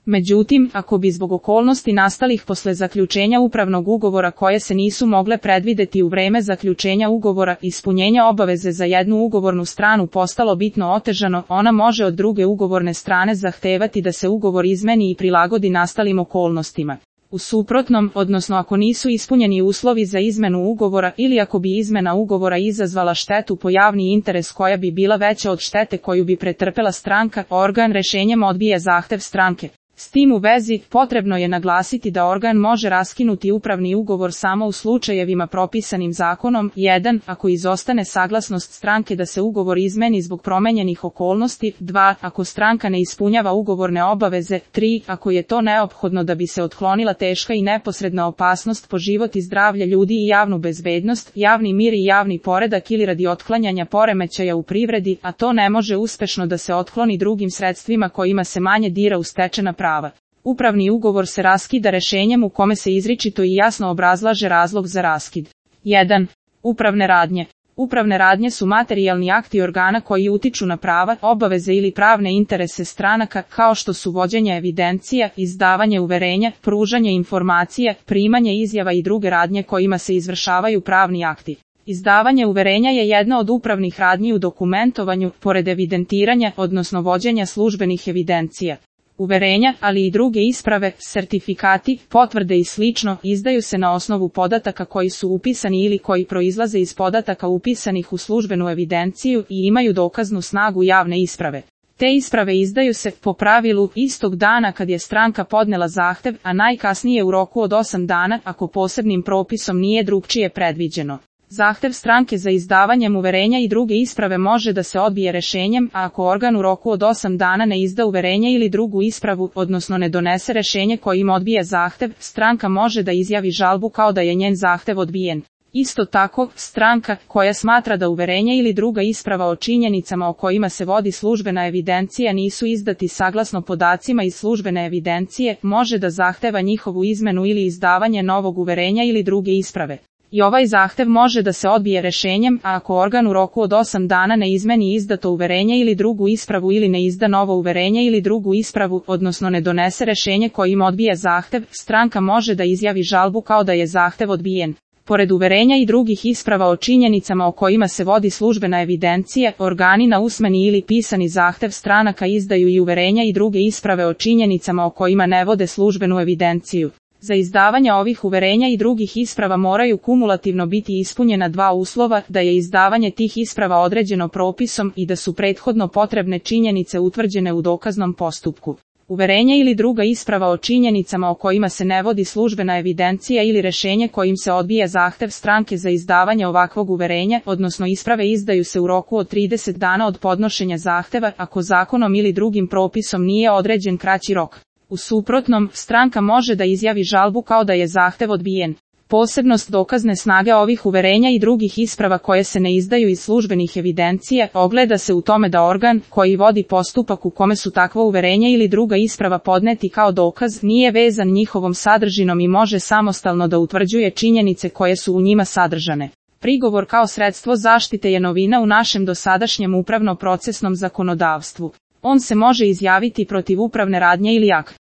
Međutim, ako bi zbog okolnosti nastalih posle zaključenja upravnog ugovora koje se nisu mogle predvideti u vreme zaključenja ugovora, ispunjenja obaveze za jednu ugovornu stranu postalo bitno otežano, ona može od druge ugovorne strane zahtevati da se ugovor izmeni i prilagodi nastalim okolnostima. U suprotnom, odnosno ako nisu ispunjeni uslovi za izmenu ugovora ili ako bi izmena ugovora izazvala štetu po javni interes koja bi bila veća od štete koju bi pretrpela stranka, organ rešenjem odbija zahtev stranke. S tim u vezi, potrebno je naglasiti da organ može raskinuti upravni ugovor samo u slučajevima propisanim zakonom. 1. Ako izostane saglasnost stranke da se ugovor izmeni zbog promenjenih okolnosti. 2. Ako stranka ne ispunjava ugovorne obaveze. 3. Ako je to neophodno da bi se otklonila teška i neposredna opasnost po život i zdravlje ljudi i javnu bezbednost, javni mir i javni poredak ili radi otklanjanja poremećaja u privredi, a to ne može uspešno da se otkloni drugim sredstvima kojima se manje dira u stečena prava. Upravni ugovor se raskida rešenjem u kome se izričito i jasno obrazlaže razlog za raskid. 1. Upravne radnje. Upravne radnje su materijalni akti organa koji utiču na prava, obaveze ili pravne interese stranaka, kao što su vođenje evidencija, izdavanje uverenja, pružanje informacija, primanje izjava i druge radnje kojima se izvršavaju pravni akti. Izdavanje uverenja je jedna od upravnih radnji u dokumentovanju, pored evidentiranja, odnosno vođenja službenih evidencija. Uverenja, ali i druge isprave, sertifikati, potvrde i slično, izdaju se na osnovu podataka koji su upisani ili koji proizlaze iz podataka upisanih u službenu evidenciju i imaju dokaznu snagu javne isprave. Te isprave izdaju se, po pravilu, istog dana kad je stranka podnela zahtev, a najkasnije u roku od 8 dana, ako posebnim propisom nije drugčije predviđeno. Zahtev stranke za izdavanjem uverenja i druge isprave može da se odbije rešenjem, a ako organ u roku od 8 dana ne izda uverenje ili drugu ispravu, odnosno ne donese rešenje kojim odbija zahtev, stranka može da izjavi žalbu kao da je njen zahtev odbijen. Isto tako, stranka, koja smatra da uverenje ili druga isprava o činjenicama o kojima se vodi službena evidencija nisu izdati saglasno podacima iz službene evidencije, može da zahteva njihovu izmenu ili izdavanje novog uverenja ili druge isprave. I ovaj zahtev može da se odbije rešenjem, a ako organ u roku od 8 dana ne izmeni izdato uverenje ili drugu ispravu ili ne izda novo uverenje ili drugu ispravu, odnosno ne donese rešenje kojim odbija zahtev, stranka može da izjavi žalbu kao da je zahtev odbijen. Pored uverenja i drugih isprava o činjenicama o kojima se vodi službena evidencija, organi na usmeni ili pisani zahtev stranaka izdaju i uverenja i druge isprave o činjenicama o kojima ne vode službenu evidenciju. Za izdavanje ovih uverenja i drugih isprava moraju kumulativno biti ispunjena dva uslova, da je izdavanje tih isprava određeno propisom i da su prethodno potrebne činjenice utvrđene u dokaznom postupku. Uverenje ili druga isprava o činjenicama o kojima se ne vodi službena evidencija ili rešenje kojim se odbija zahtev stranke za izdavanje ovakvog uverenja, odnosno isprave izdaju se u roku od 30 dana od podnošenja zahteva, ako zakonom ili drugim propisom nije određen kraći rok. U suprotnom, stranka može da izjavi žalbu kao da je zahtev odbijen. Posebnost dokazne snage ovih uverenja i drugih isprava koje se ne izdaju iz službenih evidencija ogleda se u tome da organ, koji vodi postupak u kome su takvo uverenje ili druga isprava podneti kao dokaz, nije vezan njihovom sadržinom i može samostalno da utvrđuje činjenice koje su u njima sadržane. Prigovor kao sredstvo zaštite je novina u našem dosadašnjem upravno-procesnom zakonodavstvu. On se može izjaviti protiv upravne radnje ili akta.